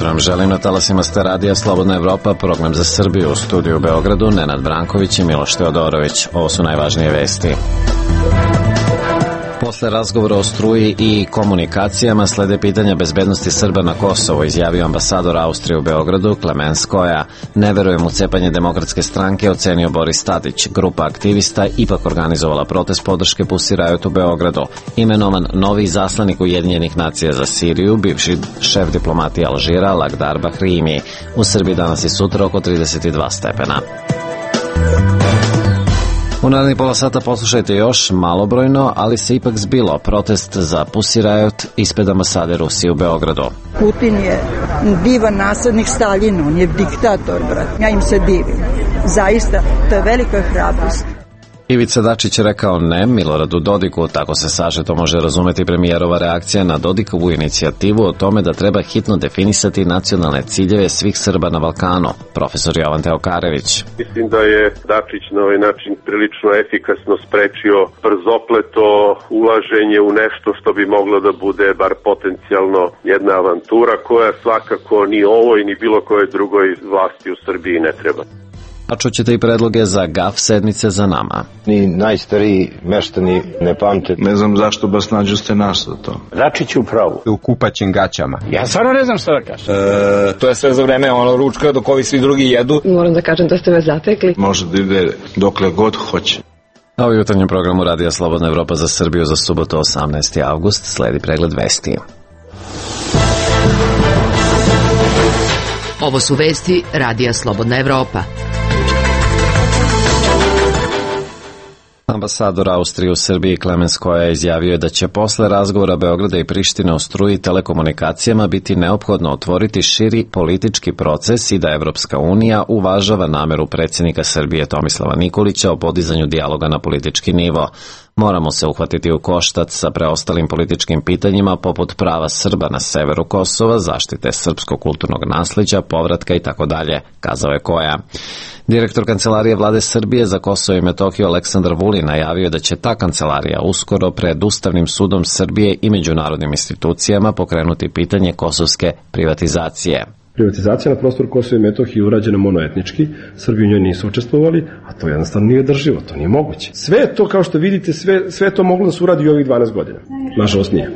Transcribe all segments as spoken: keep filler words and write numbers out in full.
jutro vam želim na talasima ste radija Slobodna Evropa, program za Srbiju, u studiju u Beogradu, Nenad Branković i Miloš Teodorović. Ovo su najvažnije vesti. Posle razgovora o struji i komunikacijama slede pitanja bezbednosti Srba na Kosovo, izjavio ambasador Austrije u Beogradu Klemens Koja. Ne verujem u cepanje Demokratske stranke, ocenio Boris Tadić. Grupa aktivista ipak organizovala protest podrške Pussy Riot u Beogradu. Imenovan novi izaslanik Ujedinjenih nacija za Siriju, bivši šef diplomatije Alžira Lagdar Bahrimi. U Srbiji danas i sutra oko trideset dva stepena. U narednih pola sata poslušajte još malobrojno, ali se ipak zbilo protest za Pussy Riot ispred ambasade Rusije u Beogradu. Putin je divan naslednik Staljinu, on je diktator, brat. Ja im se divim. Zaista, to je velika hrabrost. Ivica Dačić je rekao ne Miloradu Dodiku, tako se sažeto može razumeti premijerova reakcija na Dodikovu inicijativu o tome da treba hitno definisati nacionalne ciljeve svih Srba na Balkanu. Profesor Jovan Teokarević. Mislim da je Dačić na ovaj način prilično efikasno sprečio brzopleto ulaženje u nešto što bi moglo da bude bar potencijalno jedna avantura koja svakako ni ovoj ni bilo koje drugoj vlasti u Srbiji ne treba. A čućete i predloge za gaf sedmice za nama. Ni najstariji meštani ne pamte. Ne znam zašto baš nađu ste naš za to. Dačić u pravu. U kupaćim gaćama. Ja stvarno ne znam šta da kažem. E, to je sve za vreme ono ručka dok ovi svi drugi jedu. Moram da kažem da ste me zatekli. Može da ide dokle god hoće. A u jutarnjem programu Radija Slobodna Evropa za Srbiju za subotu osamnaesti avgust sledi pregled vesti. Ovo su vesti Radija Slobodna Evropa. Ambasador Austrije u Srbiji Klemens Koja izjavio je da će posle razgovora Beograda i Prištine o struji i telekomunikacijama biti neophodno otvoriti širi politički proces i da Evropska unija uvažava nameru predsjednika Srbije Tomislava Nikolića o podizanju dijaloga na politički nivo. Moramo se uhvatiti u koštac sa preostalim političkim pitanjima poput prava Srba na severu Kosova, zaštite srpskog kulturnog nasleđa, povratka i tako dalje, kazao je Koja. Direktor Kancelarije vlade Srbije za Kosovo i Metohiju Aleksandar Vulin najavio da će ta kancelarija uskoro pred Ustavnim sudom Srbije i međunarodnim institucijama pokrenuti pitanje kosovske privatizacije. Privatizacija na prostoru Kosova i Metohije je urađena monoetnički, Srbi u njoj nisu učestvovali, a to jednostavno nije drživo, to nije moguće. Sve to, kao što vidite, sve, sve to moglo da se uradi u ovih dvanaest godina. Nažalost nije.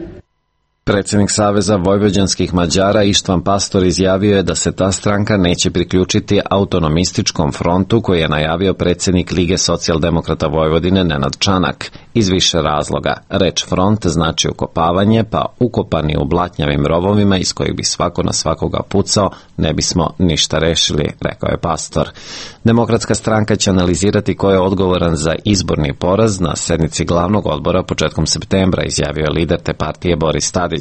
Predsjednik Saveza vojvođanskih Mađara Ištvan Pastor izjavio je da se ta stranka neće priključiti autonomističkom frontu koji je najavio predsjednik Lige socijaldemokrata Vojvodine Nenad Čanak iz više razloga. Reč front znači ukopavanje, pa ukopani u blatnjavim rovovima iz kojih bi svako na svakoga pucao, ne bismo ništa rešili, rekao je Pastor. Demokratska stranka će analizirati ko je odgovoran za izborni poraz na sednici glavnog odbora početkom septembra, izjavio je lider te partije Boris Tadić.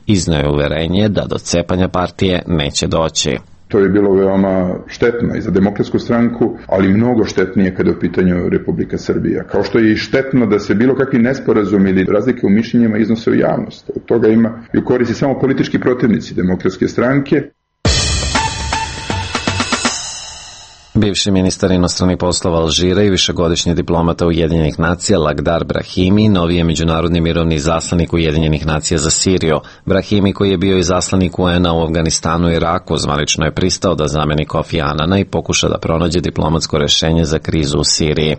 Iznio je uverenje da do cepanja partije neće doći. To je bilo veoma štetno i za Demokratsku stranku, ali mnogo štetnije kada je u pitanju Republika Srbija. Kao što je i štetno da se bilo kakvi nesporazumi ili razlike u mišljenjima iznose u javnost. Od toga ima i u koristi samo politički protivnici Demokratske stranke. Bivši ministar inostranih poslova Alžira i višegodišnji diplomata Ujedinjenih nacija Lagdar Brahimi novi je međunarodni mirovni izaslanik Ujedinjenih nacija za Siriju. Brahimi, koji je bio izaslanik U N A u Afganistanu i Iraku, zvanično je pristao da zameni Kofi Anana i pokuša da pronađe diplomatsko rešenje za krizu u Siriji.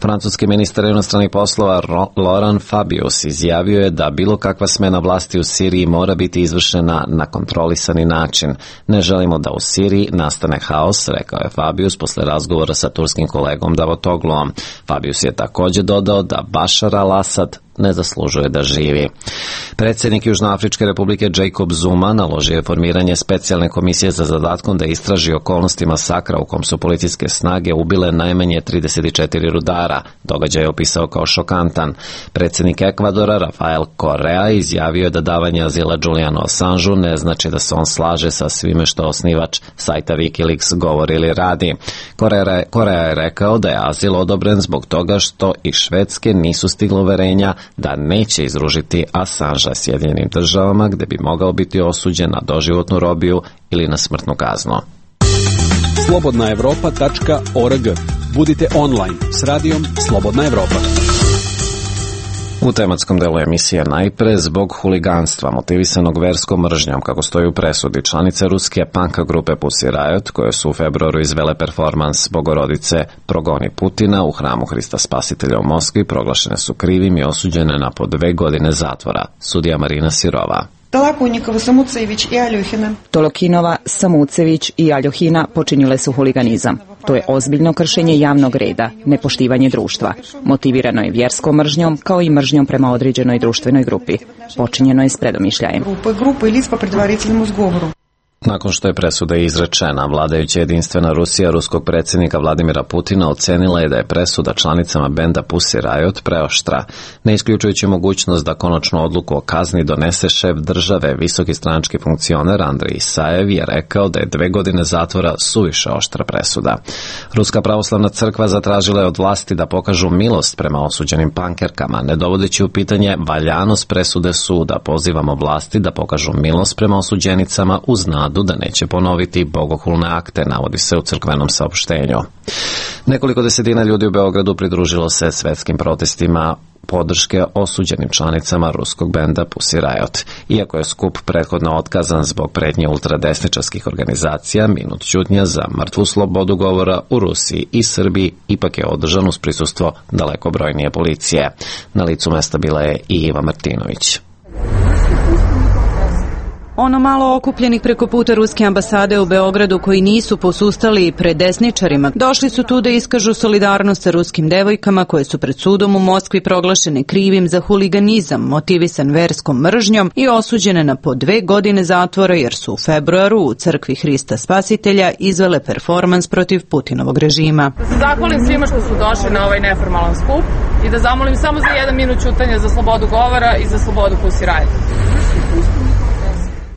Francuski ministar inostranih poslova Laurent Fabius izjavio je da bilo kakva smena vlasti u Siriji mora biti izvršena na kontrolisani način. Ne želimo da u Siriji nastane haos, rekao je Fabius posle razgovora sa turskim kolegom Davutogluom. Fabius je također dodao da Bashar al-Assad ne zaslužuje da živi. Predsjednik Južnoafričke republike Jacob Zuma naložio je formiranje specijalne komisije za zadatkom da istraži okolnosti masakra u kom su policijske snage ubile najmanje trideset četiri rudara. Događaj je opisao kao šokantan. Predsjednik Ekvadora Rafael Correa izjavio je da davanje azila Julianu Assangeu ne znači da se on slaže sa svime što osnivač sajta Wikileaks govori ili radi. Correa, Correa je rekao da je azil odobren zbog toga što i Švedske nisu stigle uverenja da neće izružiti Assangea Sjedinjenim državama gde bi mogao biti osuđen na doživotnu robiju ili na smrtnu kaznu. slobodna evropa tačka org. Budite online s radijom Slobodna Evropa. U tematskom delu emisije najpre zbog huliganstva motivisanog verskom mržnjom, kako stoji u presudi, članice ruske punk grupe Pussy Riot, koje su u februaru izvele performans Bogorodice Progoni Putina u hramu Hrista Spasitelja u Moskvi, proglašene su krivim i osuđene na po dve godine zatvora. Sudija Marina Sirova. Tolokinova, Samucević i Aljohina. Tolokinova, Samucević i Aljohina počinile su huliganizam. To je ozbiljno kršenje javnog reda, nepoštivanje društva. Motivirano je vjerskom mržnjom kao i mržnjom prema određenoj društvenoj grupi. Počinjeno je s predomišljajem. Grupa i lic po predvariteljnom zgovoru. Nakon što je presuda izrečena, vladajuća jedinstvena Rusija ruskog predsjednika Vladimira Putina ocenila je da je presuda članicama benda Pussy Riot preoštra, ne isključujući mogućnost da konačnu odluku o kazni donese šef države. Visoki stranački funkcioner Andrej Isajev je rekao da je dve godine zatvora suviše oštra presuda. Ruska pravoslavna crkva zatražila je od vlasti da pokažu milost prema osuđenim pankerkama, ne dovodeći u pitanje valjanost presude suda. Pozivamo vlasti da pokažu milost prema osuđenicama uz nadu da neće ponoviti bogohulne akte, navodi se u crkvenom saopštenju. Nekoliko desetina ljudi u Beogradu pridružilo se svetskim protestima podrške osuđenim članicama ruskog benda Pussy Riot. Iako je skup prethodno otkazan zbog pretnje ultradesničarskih organizacija, minut ćutnja za mrtvu slobodu govora u Rusiji i Srbiji ipak je održan uz prisustvo daleko brojnije policije. Na licu mesta bila je i Iva Martinović. Ono malo okupljenih preko puta ruske ambasade u Beogradu koji nisu posustali pred desničarima, došli su tu da iskažu solidarnost sa ruskim devojkama koje su pred sudom u Moskvi proglašene krivim za huliganizam motivisan verskom mržnjom i osuđene na po dve godine zatvora jer su u februaru u crkvi Hrista Spasitelja izvele performans protiv Putinovog režima. Da se zahvalim svima što su došli na ovaj neformalan skup i da zamolim samo za jedan minut ćutanja za slobodu govora i za slobodu Pussy Riot.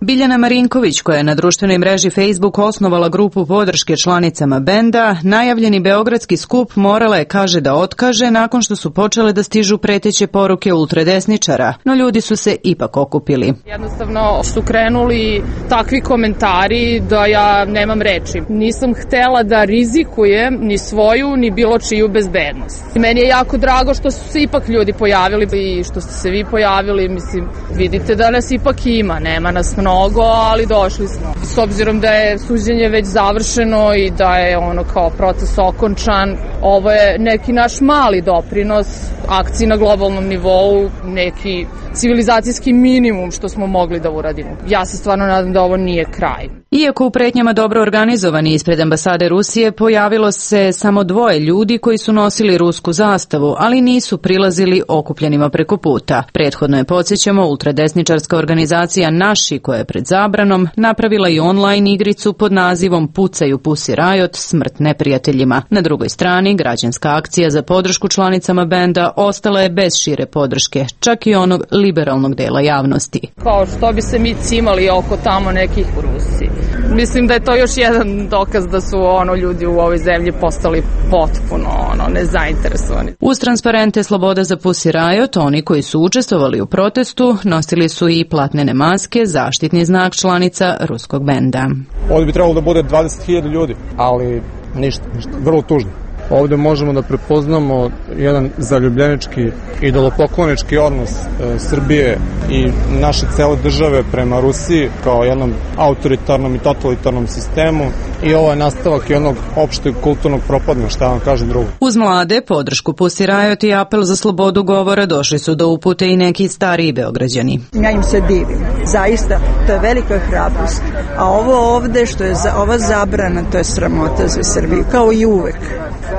Biljana Marinković, koja je na društvenoj mreži Facebook osnovala grupu podrške članicama benda, najavljeni beogradski skup morala je, kaže, da otkaže nakon što su počele da stižu preteće poruke ultradesničara, no ljudi su se ipak okupili. Jednostavno su krenuli takvi komentari da ja nemam reči. Nisam htela da rizikujem ni svoju ni bilo čiju bezbednost. Meni je jako drago što su se ipak ljudi pojavili i što ste se vi pojavili. Mislim, vidite da nas ipak ima, nema nas mnogo. Mnogo, ali došli smo. S obzirom da je suđenje već završeno i da je ono kao proces okončan, ovo je neki naš mali doprinos akciji na globalnom nivou, neki civilizacijski minimum što smo mogli da uradimo. Ja se stvarno nadam da ovo nije kraj. Iako u pretnjama dobro organizovani ispred ambasade Rusije pojavilo se samo dvoje ljudi koji su nosili rusku zastavu, ali nisu prilazili okupljenima preko puta. Prethodno je, podsjećamo, ultradesničarska organizacija Naši, koja je pred zabranom napravila i online igricu pod nazivom Pucaju Pussy Riot, smrt neprijateljima. Na drugoj strani, građanska akcija za podršku članicama benda ostala je bez šire podrške, čak i onog liberalnog dela javnosti. Kao što bi se mi cimali oko tamo nekih u Rusiji. Mislim da je to još jedan dokaz da su ono ljudi u ovoj zemlji postali potpuno ono nezainteresovani. Uz transparente Sloboda za Pussy Riot, oni koji su učestvovali u protestu nosili su i platnene maske, zaštitni znak članica ruskog benda. Ovdje bi trebalo da bude dvadeset hiljada ljudi, ali ništa, ništa, vrlo tužno. Ovdje možemo da prepoznamo jedan zaljubljenički, idolopoklonički odnos e, Srbije i naše cele države prema Rusiji kao jednom autoritarnom i totalitarnom sistemu i ovo je nastavak jednog opšteg kulturnog propadanja, šta vam kažem drugo. Uz mlade, podršku Pussy Riot i apel za slobodu govora došli su do upute i neki stariji Beograđani. Ja im se divim. Zaista, to je velika hrabrost. A ovo ovde što je za, ova zabrana, to je sramota za Srbiju, kao i uvek.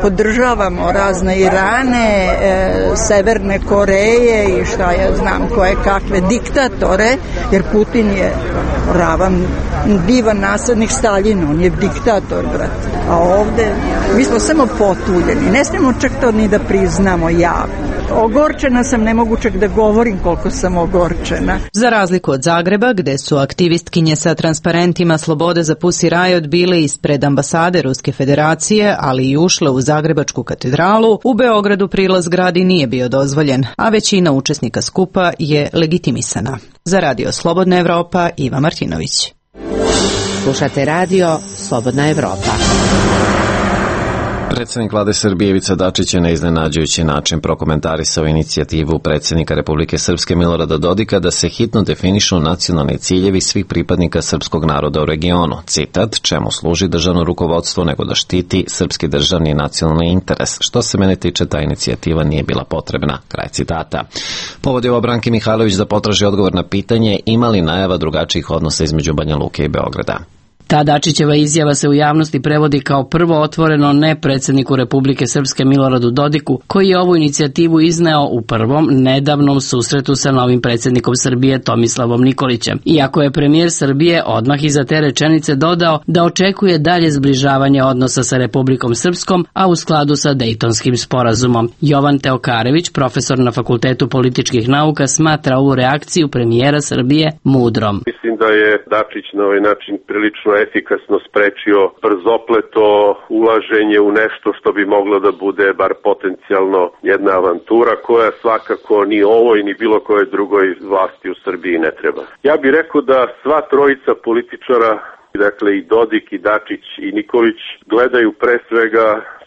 Podržavamo razne Irane, e, Severne Koreje i šta ja znam koje kakve diktatore, jer Putin je ravan, divan naslednik Staljina, on je diktator, brate. A ovde, mi smo samo potuljeni, ne smemo čak to ni da priznamo javno. Ogorčena sam, ne mogu čak da govorim koliko sam ogorčena. Za razliku od Zagreba, gde su aktivistkinje sa transparentima Slobode za Pussy Riot bile ispred ambasade Ruske federacije, ali i ušle u Zagrebačku katedralu, u Beogradu prilaz gradi nije bio dozvoljen, a većina učesnika skupa je legitimisana. Za Radio Slobodna Evropa, Iva Martinović. Slušate Radio Slobodna Evropa. Predsednik vlade Srbije Ivica Dačić je na iznenađujući način prokomentarisao inicijativu predsednika Republike Srpske Milorada Dodika da se hitno definišu nacionalni ciljevi svih pripadnika srpskog naroda u regionu. Citat, čemu služi državno rukovodstvo nego da štiti srpski državni i nacionalni interes. Što se mene tiče, ta inicijativa nije bila potrebna. Kraj citata. Povod je ovo Branki Mihajlović da potraži odgovor na pitanje ima li najava drugačijih odnosa između Banja Luke i Beograda. Ta Dačićeva izjava se u javnosti prevodi kao prvo otvoreno ne predsjedniku Republike Srpske Miloradu Dodiku, koji je ovu inicijativu izneo u prvom nedavnom susretu sa novim predsjednikom Srbije Tomislavom Nikolićem. Iako je premijer Srbije odmah iza te rečenice dodao da očekuje dalje zbližavanje odnosa sa Republikom Srpskom, a u skladu sa Dejtonskim sporazumom. Jovan Teokarević, profesor na Fakultetu političkih nauka, smatra ovu reakciju premijera Srbije mudrom. Mislim da je Dačić na ovaj način prilično efikasno sprečio brzopleto ulaženje u nešto što bi moglo da bude bar potencijalno jedna avantura koja svakako ni ovoj ni bilo koje drugoj vlasti u Srbiji ne treba. Ja bih rekao da sva trojica političara, dakle i Dodik i Dačić i Nikolić, gledaju pre svega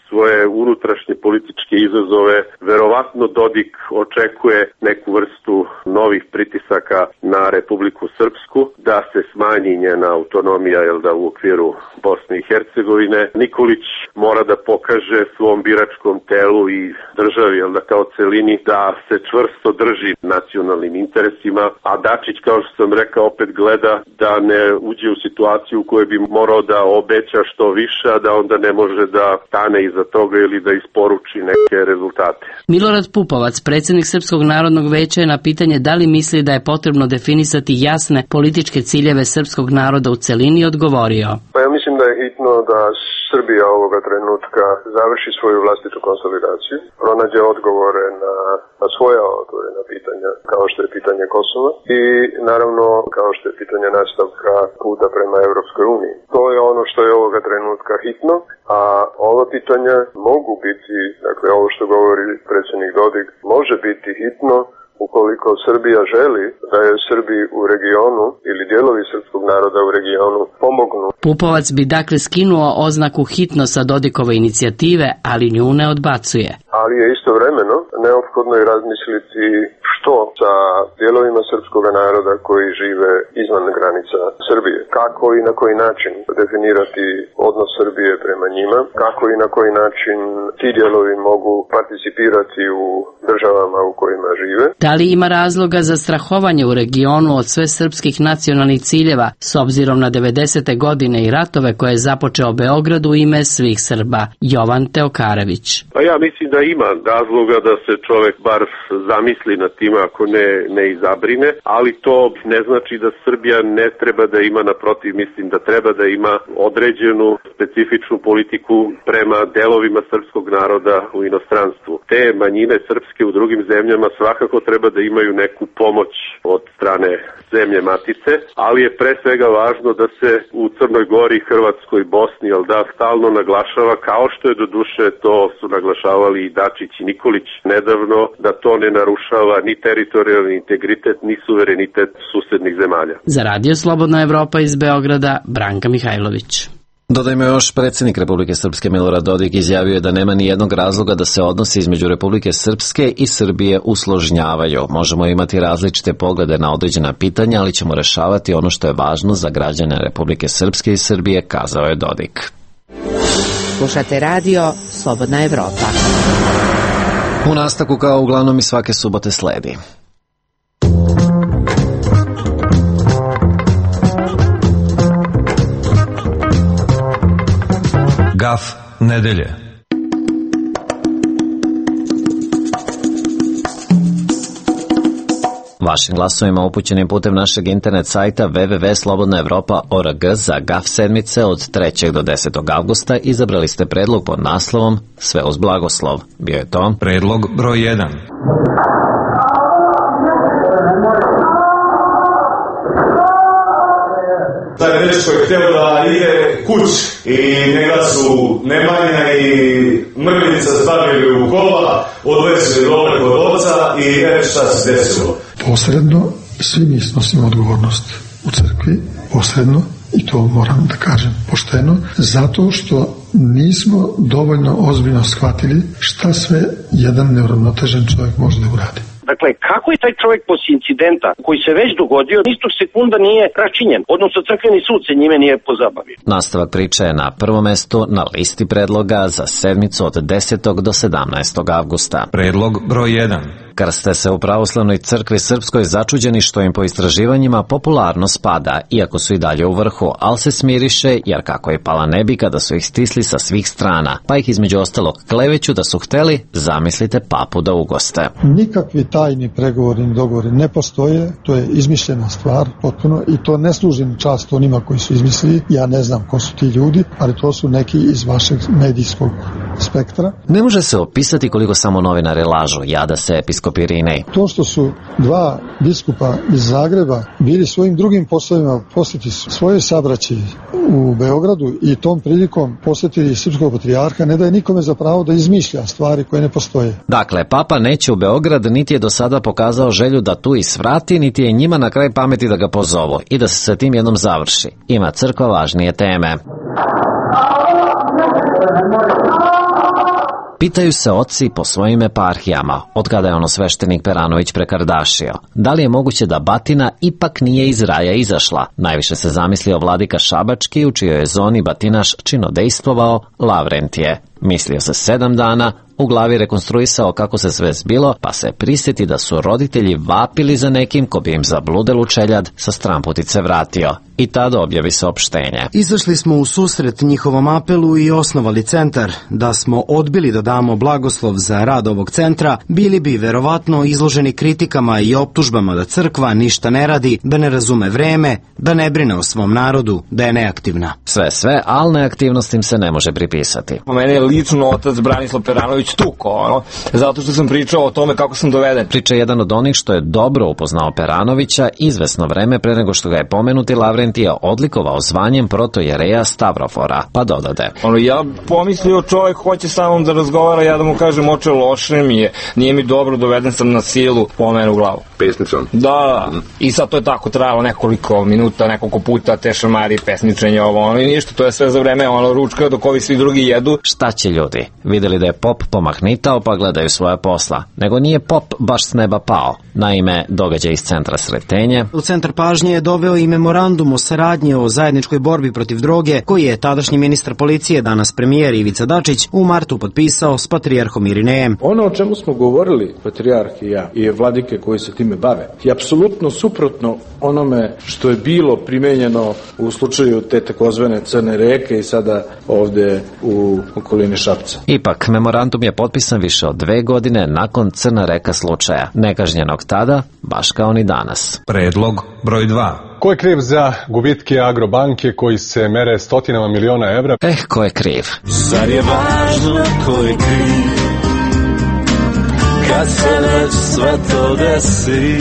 svoje unutrašnje političke izazove. Verovatno Dodik očekuje neku vrstu novih pritisaka na Republiku Srpsku, da se smanji njena autonomija, jel da, u okviru Bosne i Hercegovine. Nikolić mora da pokaže svom biračkom telu i državi, jel da, kao celini, da se čvrsto drži nacionalnim interesima, a Dačić, kao što sam rekao, opet gleda da ne uđe u situaciju u kojoj bi morao da obeća što više, a da onda ne može da stane iza toga ili da isporuči neke rezultate. Milorad Pupovac, predsjednik Srpskog narodnog veća, je na pitanje da li misli da je potrebno definisati jasne političke ciljeve srpskog naroda u celini odgovorio. Pa ja mislim da je hitno da Srbija ovoga trenutka završi svoju vlastitu konsolidaciju, pronađe odgovore na, na svoja otvorena pitanja, kao što je pitanje Kosova i naravno kao što je pitanje nastavka puta prema Evropskoj uniji. To je ono što je ovoga trenutka hitno, a ova pitanja mogu biti, dakle ovo što govori predsjednik Dodik, može biti hitno ukoliko Srbija želi da je Srbiji u regionu ili dijelovi srpskog naroda u regionu pomognu. Pupovac bi dakle skinuo oznaku hitno sa Dodikove inicijative, ali nju ne odbacuje. Ali je istovremeno neophodno i razmisliti što sa dijelovima srpskog naroda koji žive izvan granica Srbije. Kako i na koji način definirati odnos Srbije prema njima, kako i na koji način ti dijelovi mogu participirati u državama u kojima žive. Da li ima razloga za strahovanje u regionu od sve srpskih nacionalnih ciljeva s obzirom na devedesete godine i ratove koje je započeo Beograd u ime svih Srba? Jovan Teokarević. Pa ja mislim da ima razloga da se čovek bar zamisli nad tim, ako ne, ne izabrine, ali to ne znači da Srbija ne treba da ima, naprotiv, mislim da treba da ima određenu specifičnu politiku prema delovima srpskog naroda u inostranstvu. Te manjine srpske u drugim zemljama svakako treba da imaju neku pomoć od strane zemlje matice, ali je pre svega važno da se u Crnoj Gori, Hrvatskoj, Bosni, jel da, stalno naglašava, kao što je do duše to su naglašavali i Dačić i Nikolić nedavno, da to ne narušava ni teritorijalni integritet, ni suverenitet susednih zemalja. Za Radio Slobodna Evropa iz Beograda, Branka Mihajlović. Dodajmo još, predsjednik Republike Srpske Milorad Dodik izjavio je da nema ni jednog razloga da se odnosi između Republike Srpske i Srbije usložnjavaju. Možemo imati različite poglede na određena pitanja, ali ćemo rešavati ono što je važno za građane Republike Srpske i Srbije, kazao je Dodik. Slušate radio Slobodna Evropa. U nastavku, kao uglavnom i svake subote, sledi Gaf nedelje. Vašim glasovima upućenim putem našeg internet sajta w w w tačka slobodna evropa tačka org za Gaf sedmice od trećeg do desetog avgusta izabrali ste predlog pod naslovom Sve uz blagoslov. Bio je to predlog broj jedan. Taj dečko je htio da ide kući i njega su Nemanja i Mrljica stavili u kola, odvezli dole kod oca i ne šta se desilo. Posredno svi mi snosimo odgovornost u crkvi, posredno i to moram da kažem pošteno, zato što nismo dovoljno ozbiljno shvatili šta sve jedan neuravnotežen čovjek može da uradi. Dakle, kako je taj čovjek posle incidenta koji se već dogodio, istog sekunda nije račinjen, odnosno crkveni sud se njime nije pozabavio. Nastavak priče je na prvom mestu na listi predloga za sedmicu od desetog do sedamnaestog avgusta. Predlog broj jedan. Krste se u pravoslavnoj crkvi srpskoj začuđeni što im po istraživanjima popularnost pada, iako su i dalje u vrhu, ali se smiriše jer kako je pala ne bi kada su ih stisli sa svih strana, pa ih između ostalog kleveću da su hteli, zamislite, papu da ugoste. Nikakvi tajni pregovori, dogovori ne postoje, to je izmišljena stvar potpuno i to ne služi na čast onima koji su izmislili, ja ne znam ko su ti ljudi, ali to su neki iz vašeg medijskog spektra. Ne može se opisati koliko samo novinare lažu, jada se episkop Irinej. To što su dva biskupa iz Zagreba bili svojim drugim poslovima posjeti svoje sabraći u Beogradu i tom prilikom posjetili srpskog patrijarha, ne daje nikome za pravo da izmišlja stvari koje ne postoje. Dakle, papa neće u Beograd, niti je do sada pokazao želju da tu isvrati, niti je njima na kraj pameti da ga pozovu i da se sa tim jednom završi. Ima crkva važnije teme. Pitaju se oci po svojim eparhijama, od kada je ono sveštenik Peranović prekardašio. Da li je moguće da batina ipak nije iz raja izašla? Najviše se zamislio vladika Šabački, u čijoj je zoni batinaš činodejstvovao Lavrentije. Mislio se sedam dana, u glavi rekonstruisao kako se sve zbilo, pa se prisjeti da su roditelji vapili za nekim ko bi im zabludelu čeljad sa stramputice vratio. I tada objavi saopštenje. Izašli smo u susret njihovom apelu i osnovali centar. Da smo odbili da damo blagoslov za rad ovog centra, bili bi verovatno izloženi kritikama i optužbama da crkva ništa ne radi, da ne razume vreme, da ne brine o svom narodu, da je neaktivna. Sve sve, ali neaktivnost im se ne može pripisati. Po mene je lično otac Branislav Peranović tuko, ono, zato što sam pričao o tome kako sam doveden. Priča je jedan od onih što je dobro upoznao Peranovića izvesno vreme pre nego što ga je pomenuti Lavrentije odlikovao zvanjem protojereja Stavrofora, pa dodade. Ono, ja pomislio čovjek hoće sa mnom da razgovara, ja da mu kažem oče loše mi je, nije mi dobro, doveden sam na silu, po mene u glavu. Pesnicom? Da, mm. I sad to je tako trajalo nekoliko minuta, nekoliko puta, te šamari, pesničenje, ovo, ono i ništa, to je sve za vreme, ono, ručka dok ovi svi drugi jedu. Šta će ljudi? Vidjeli da je pop pomahnitao pa gledaju svoja posla. Nego nije pop baš s neba pao. Naime, događaj iz centra Sretenje. U centar pažnje je doveo i memorandum o saradnji o zajedničkoj borbi protiv droge, koji je tadašnji ministar policije, danas premijer Ivica Dačić, u martu potpisao s patrijarhom Irinejem. Ono o čemu smo govorili, patrijarh i ja, i vladike koji se time bave, je apsolutno suprotno onome što je bilo primenjeno u slučaju te takozvane Crne reke i sada ovde u okolini Šapca. Ipak, memorandum je potpisan više od dve godine nakon Crna reka slučaja, nekažnjenog tada, baš kao ni danas. Predlog broj dva. Ko je kriv za gubitke Agrobanke koji se mere stotinama miliona evra? Eh, ko je kriv? Zar je važno ko je kriv kad se već sve to desi?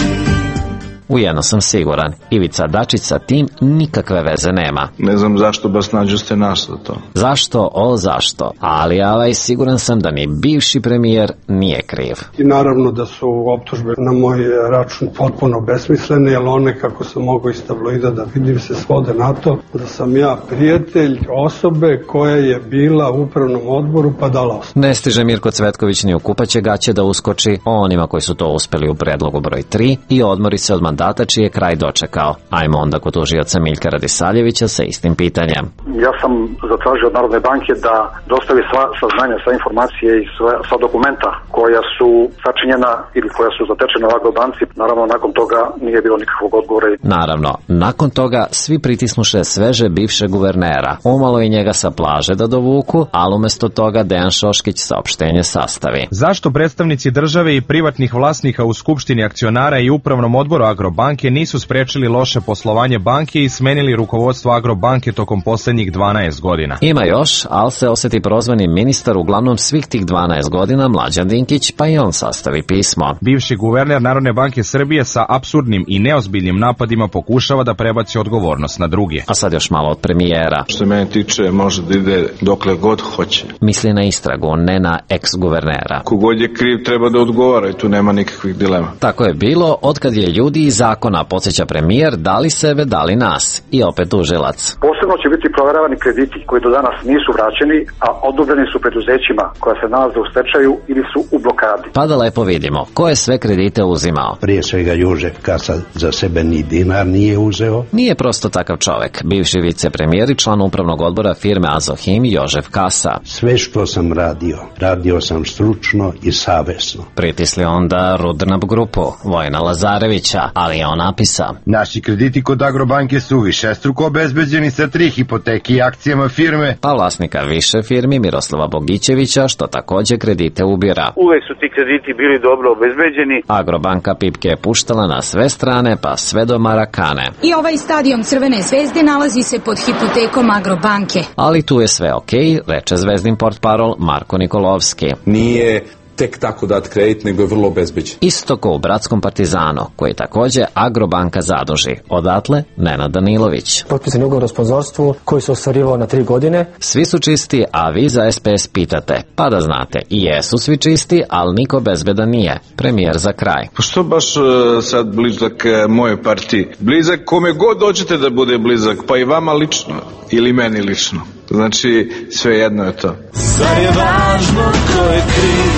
U jedno sam siguran, Ivica Dačić sa tim nikakve veze nema. Ne znam zašto baš nađu ste nas za to. Zašto, o zašto, ali ovaj siguran sam da ni bivši premijer nije kriv. I naravno da su optužbe na moj račun potpuno besmislene, jer one, kako sam mogao iz tabloida da vidim, se svode na to da sam ja prijatelj osobe koja je bila u upravnom odboru pa dala ostavku. Ne stiže Mirko Cvetković ni u kupaće gaće da uskoči o onima koji su to uspeli u predlogu broj tri i odmori se od mandata čiji je kraj dočekao. Ajmo onda kod tužioca Miljka Radisaljevića sa istim pitanjem. Ja sam zatražio od Narodne banke da dostavi sva saznanja, sva informacije i sva, sva dokumenta koja su sačinjena ili koja su zatečena u Agrobanci. Naravno, nakon toga nije bilo nikakvog odgovora. Naravno, nakon toga svi pritisnuše sveže bivše guvernera. Umalo i njega sa plaže da dovuku, ali umesto toga Dejan Šoškić saopštenje sastavi. Zašto predstavnici države i privatnih vlasnika u Skupštini akcionara i upravnom odboru Agrobanke nisu sprečili loše poslovanje banke i smenili rukovodstvo Agrobanke tokom poslednjih dvanaest godina? Ima još, ali se osjeti prozvani ministar uglavnom svih tih dvanaest godina, Mlađan Dinkić, pa i on sastavi pismo. Bivši guverner Narodne banke Srbije sa apsurdnim i neozbiljnim napadima pokušava da prebaci odgovornost na druge. A sad još malo od premijera. Što mene tiče, može da ide dokle god hoće. Misli na istragu, ne na ex-guvernera. Kogod je kriv treba da odgovara i tu nema nikakvih dilema. Tako je bilo, otkad je ljudi iz zakona, podsjeća premijer, da li sebe, da li nas. I opet tužilac. Posebno će biti proveravani krediti koji do danas nisu vraćeni, a odobreni su preduzećima koja se nalaze u stečaju ili su u blokadi. Pa da lepo vidimo ko je sve kredite uzimao. Prije svega Jožef Kasa za sebe ni dinar nije uzeo. Nije prosto takav čovek. Bivši vicepremijer i član upravnog odbora firme Azohim Jožef Kasa. Sve što sam radio, radio sam stručno i savesno. Pritisli onda Rudnab grupu Vojna Lazarevića, ali je on napisa: naši krediti kod Agrobanke su višestruko obezbeđeni sa tri hipoteke i akcijama firme. Pa vlasnika više firmi Miroslava Bogićevića, što takođe kredite ubira. Uvek su ti krediti bili dobro obezbeđeni. Agrobanka pipke je puštala na sve strane, pa sve do Marakane. I ovaj stadion Crvene zvezde nalazi se pod hipotekom Agrobanke. Ali tu je sve okej, reče zvezdin portparol Marko Nikolovski. Nije tek tako dat kredit, nego je vrlo obezbeđen. Isto ko u Bratskom Partizanu, koji takođe Agrobanka zaduži. Odatle Nenad Danilović. Potpisan je ugovor o sponzorstvu koji se ostvarivao na tri godine. Svi su čisti, a vi za S P S pitate. Pa da znate, i jesu svi čisti, ali niko bezbedan nije. Premijer za kraj. Pa što baš uh, sad blizak uh, moje partiji? Blizak kome god dođete da bude blizak, pa i vama lično ili meni lično. Znači, sve jedno je to. Zar je važno ko je kriv?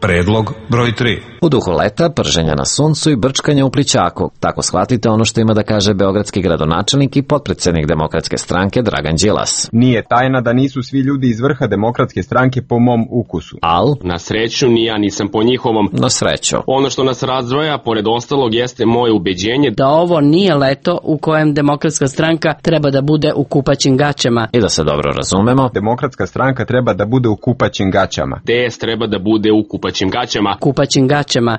Predlog broj tri. U duhu leta, prženja na suncu i brčkanja u plićaku. Tako shvatite ono što ima da kaže beogradski gradonačelnik i potpredsednik Demokratske stranke Dragan Đilas. Nije tajna da nisu svi ljudi iz vrha Demokratske stranke po mom ukusu. Al? Na sreću ni ja nisam po njihovom. Na sreću. Ono što nas razdvaja, pored ostalog, jeste moje ubeđenje da ovo nije leto u kojem Demokratska stranka treba da bude u kupaćim gaćama. I da se dobro razumemo, Demokratska stranka treba da bude u kupaćim gaćama. D S treba da bude u kupaćim gaćama. Kupaćim gaćama. Aruba,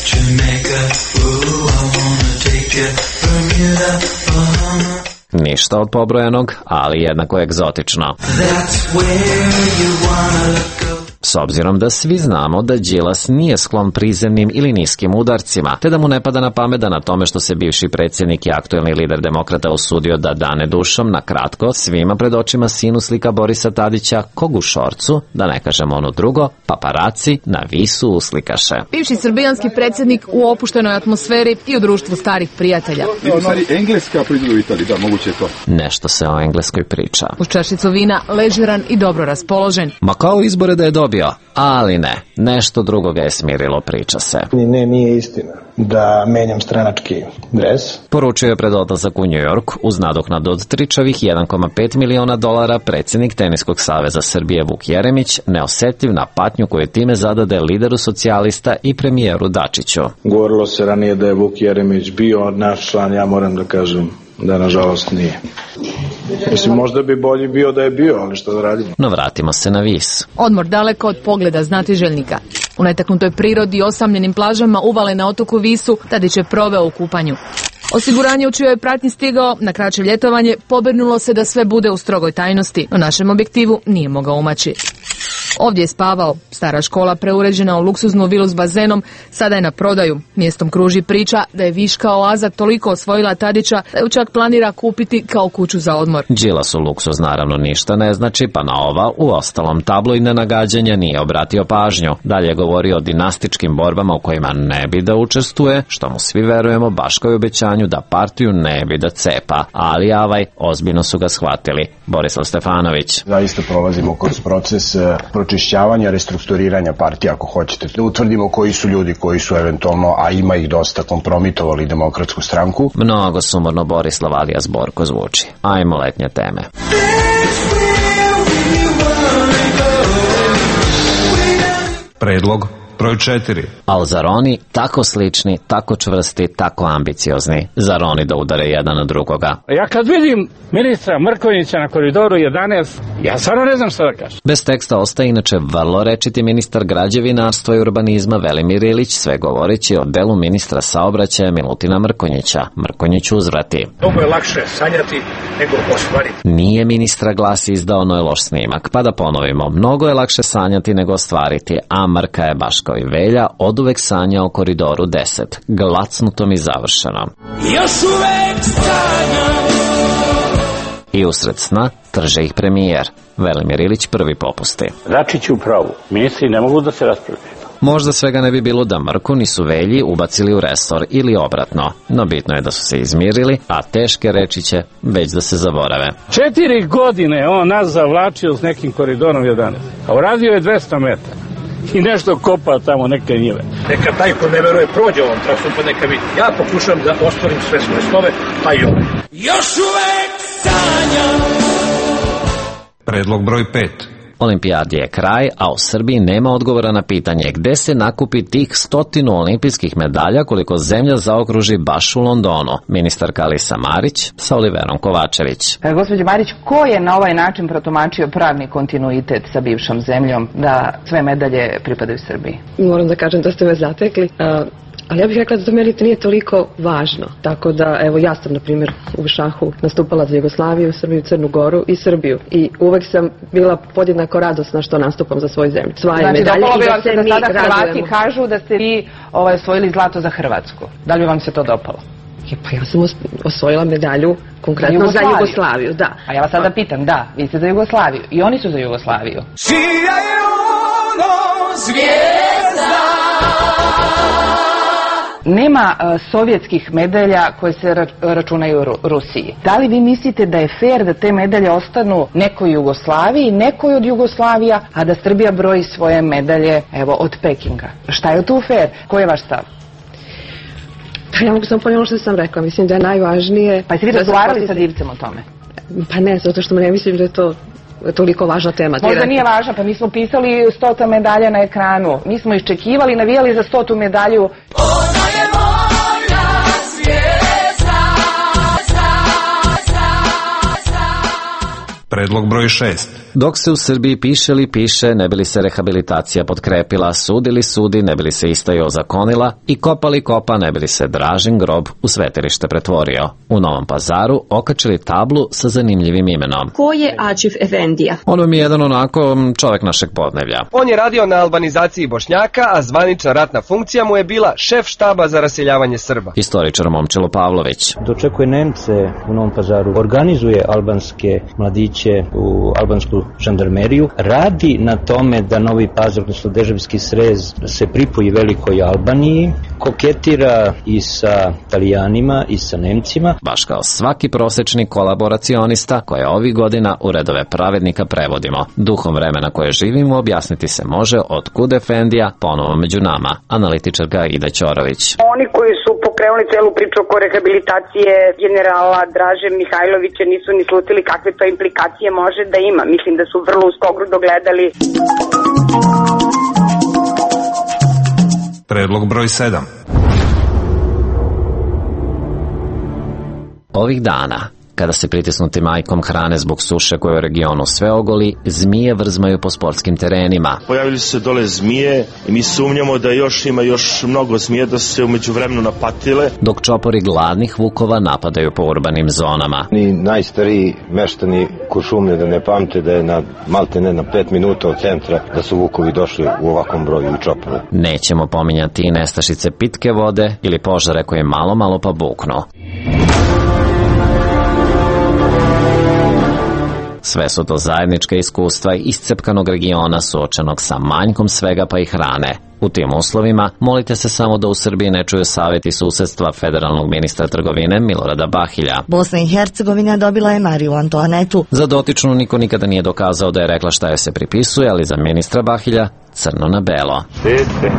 Jamaica, ooh, I wanna take you, Bermuda, Bahama. Ništa od pobrojanog, ali jednako egzotično. That's where you wanna go. S obzirom da svi znamo da Đilas nije sklon prizemnim ili niskim udarcima, te da mu ne pada na pamet da na tome što se bivši predsjednik i aktuelni lider demokrata usudio da dane dušom, na kratko, svima pred očima sinu slika Borisa Tadića, kog u šorcu, da ne kažemo ono drugo, paparaci na visu uslikaše. Bivši srbijanski predsjednik u opuštenoj atmosferi i u društvu starih prijatelja. U stvari, Engleska proizvodi u Italiji, da, moguće je to. Nešto se o Engleskoj priča. Uz čašicu vina, ležeran i dobro raspoložen. Ma kao izbore da je dobio, ali ne, nešto drugo ga je smirilo, priča se. Ne, nije istina da menjam stranački dres. Poručio je pred odlazak u New York uz nadoknadu od tričavih jedan zarez pet miliona dolara predsjednik Teniskog saveza Srbije Vuk Jeremić, neosetljiv na patnju koju time zadade lideru socijalista i premijeru Dačiću. Govorilo se ranije da je Vuk Jeremić bio naš član, ja moram da kažem da nažalost nije. Mislim, možda bi bolji bio da je bio, ali što da radimo. No vratimo se na vis. Odmor daleko od pogleda znatiželjnika. U netaknutoj prirodi i osamljenim plažama uvale na otoku Visu, Tadić je proveo u kupanju. Osiguranje u čijoj je pratnji stigao na kraće ljetovanje pobrinulo se da sve bude u strogoj tajnosti, no našem objektivu nije mogao umaći. Ovdje je spavao. Stara škola preuređena u luksuznu vilu s bazenom sada je na prodaju. Mjestom kruži priča da je viška oaza toliko osvojila Tadića da ju čak planira kupiti kao kuću za odmor. Đilasu luksuz naravno ništa ne znači, pa na ova u ostalom tabloidne nagađanja nije obratio pažnju. Dalje je govorio o dinastičkim borbama u kojima ne bi da učestvuje, što mu svi verujemo baš kao i obećanju da partiju ne bi da cepa. Ali avaj, ozbiljno su ga shvatili. Borislav Stefanović. Zaista prolazimo kroz proces pročišćavanja, restrukturiranja partije, ako hoćete. Da utvrdimo koji su ljudi koji su eventualno, a ima ih dosta, kompromitovali Demokratsku stranku. Mnogo sumorno Borislav alijas Borko zvuči. Ajmo letnje teme. Predlog broj četiri. Al zar oni tako slični, tako čvrsti, tako ambiciozni? Zar oni da udare jedan na drugoga? Ja kad vidim ministra Mrkonjića na koridoru jedanaest, ja stvarno ne znam šta da kažem. Bez teksta ostaje inače vrlo rečiti ministar građevinarstva i urbanizma Velimir Ilić, sve govoreći o delu ministra saobraćaja Milutina Mrkonjića. Mrkonjić uzvrati. Mnogo je lakše sanjati nego ostvariti. Nije ministra glas izdao, ono je loš snimak. Pa da ponovimo, mnogo je lakše sanjati nego ostvariti, a Mrka je baš kao i Velja oduvek sanja o koridoru deset. Glacnutom i završeno. Još uvek sanjam. I usred sna Trže ih premijer. Velimir Ilić prvi popusti. Dačić u pravu. Ministri ne mogu da se raspravljaju. Možda svega ne bi bilo da Mrku nisu Velji ubacili u resor ili obratno, no bitno je da su se izmirili, a teške reči će već da se zaborave. Četiri godine on nas zavlačio s nekim koridorom jedanaest, a uradio je dvesta metara i nešto kopa tamo neke njive. Neka taj ko ne veruje prođe ovom trasom, pa neka vidi. Ja pokušam da ostvarim sve svoje snove, pa i ovo. Još uvek sanjam. Predlog broj pet. Olimpijadi je kraj, a u Srbiji nema odgovora na pitanje gde se nakupi tih stotinu olimpijskih medalja koliko zemlja zaokruži baš u Londonu. Ministarka Alisa Marić sa Oliverom Kovačević. E, gospođo Marić, ko je na ovaj način protumačio pravni kontinuitet sa bivšom zemljom da sve medalje pripadaju Srbiji? Moram da kažem da ste me zatekli. Uh... Ali ja bih rekla da to meni nije toliko važno. Tako da, evo, ja sam, na primjer, u šahu nastupala za Jugoslaviju, Srbiju, Crnu Goru i Srbiju. I uvek sam bila podjednako radosna što nastupam za svoju zemlju. Svaje znači, medalje dopalo bi i vam da se se da mi sada Hrvati radujemo. kažu da ste vi ovaj, osvojili zlato za Hrvatsku. Da li bi vam se to dopalo? Je, pa ja sam osvojila medalju konkretno za Jugoslaviju. za Jugoslaviju, da. A ja vas sada pitam, da, vi ste za Jugoslaviju i oni su za Jugoslaviju. Čija je ono zvijezda? Nema uh, sovjetskih medalja koje se ra računaju Ru Rusiji. Da li vi mislite da je fair da te medalje ostanu nekoj Jugoslaviji, nekoj od Jugoslavija, a da Srbija broji svoje medalje, evo, od Pekinga? Šta je tu fair? Koji je vaš stav? Pa ja mogu samo ponovno što sam rekla. Mislim da je najvažnije... Pa jeste vi razgovarali sa Divcem o tome? Pa ne, zato što ne mislim da je to toliko važna tema. Možda nije važna, pa mi smo pisali stota medalja na ekranu. Mi smo iščekivali, navijali za stotu medalju. Ona je moja zvijezda. Predlog broj šest. Dok se u Srbiji piše li piše, ne bi li se rehabilitacija potkrepila, sudili sudi, ne bi li se istaja ozakonila i kopali kopa, ne bi li se Dražin grob u svetilište pretvorio. U Novom Pazaru okačili tablu sa zanimljivim imenom. Ko je Ačif Efendija? On mi je jedan onako čovek našeg podneblja. On je radio na albanizaciji Bošnjaka, a zvanična ratna funkcija mu je bila šef štaba za raseljavanje Srba. Historičar Momčilo Pavlović. Dočekuje Nemce u Novom Pazaru, organizuje albanske mladiće u albansku žandarmeriju, radi na tome da Novi Pazar, odnosno Deževski Srez, se pripoji velikoj Albaniji, koketira i sa Italijanima i sa Nemcima. Baš kao svaki prosečni kolaboracionista koje ovih godina u redove pravednika prevodimo. Duhom vremena koje živimo objasniti se može otkud Efendija ponovo među nama, analitičarka Ida Ćorović. Oni koji su pokrenuli celu priču oko rehabilitacije generala Draže Mihajlovića nisu ni slutili kakve to implikacije može da ima. Mislim da su vrlo uskogrudo gledali. Predlog broj sedam. Ovih dana, kada se pritisnuti majkom hrane zbog suše koje u regionu sve ogoli, zmije vrzmaju po sportskim terenima. Pojavili su se dole zmije i mi sumnjamo da još ima još mnogo zmije da su se umeđu vremenu napatile. Dok čopori gladnih vukova napadaju po urbanim zonama. Ni najstariji meštani Kuršumlje da ne pamte da je na malte ne na pet minuta od centra da su vukovi došli u ovakvom broju i čopore. Nećemo pominjati i nestašice pitke vode ili požare koje malo malo pa buknu. Sve su to zajednička iskustva iscepkanog regiona suočenog sa manjkom svega pa i hrane. U tim uslovima molite se samo da u Srbiji ne čuju savjeti susedstva federalnog ministra trgovine Milorada Bahilja. Bosna i Hercegovina dobila je Mariju Antoanetu. Za dotičnu niko nikada nije dokazao da je rekla šta joj se pripisuje, ali za ministra Bahilja crno na belo. Štedite,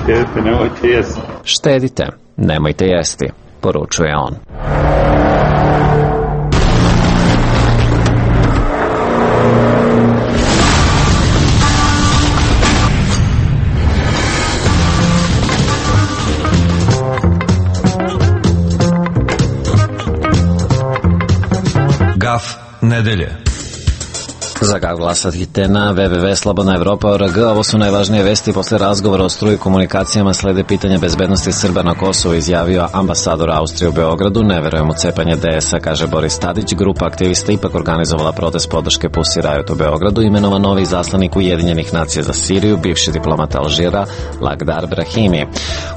štedite, nemojte jesti. Štedite, nemojte jesti, poručuje on. Gaf nedelje. Za ga glasate na w w w tačka slobodna evropa tačka org. Ovo su najvažnije vesti posle razgovora o struji komunikacijama slede pitanja bezbednosti Srba na Kosovu, izjavio ambasador Austrije u Beogradu. Ne verujem u cepanje D S A, kaže Boris Tadić. Grupa aktivista ipak organizovala protest podrške Pussy Riot u Beogradu. Imenovan novi zaslanik Ujedinjenih nacija za Siriju, bivši diplomat Alžira Lagdar Brahimi.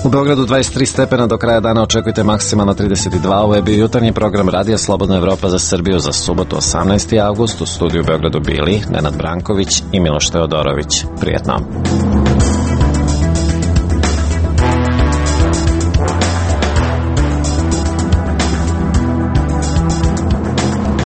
U Beogradu dvadeset tri stepena, do kraja dana očekujte maksimalno trideset dva. Ovo je bio jutarnji program Radija Slobodna Evropa za Srbiju za subotu osamnaesti avgust. U studiju u Beogradu bili Nenad Branković i Miloš Teodorović. Prijetno.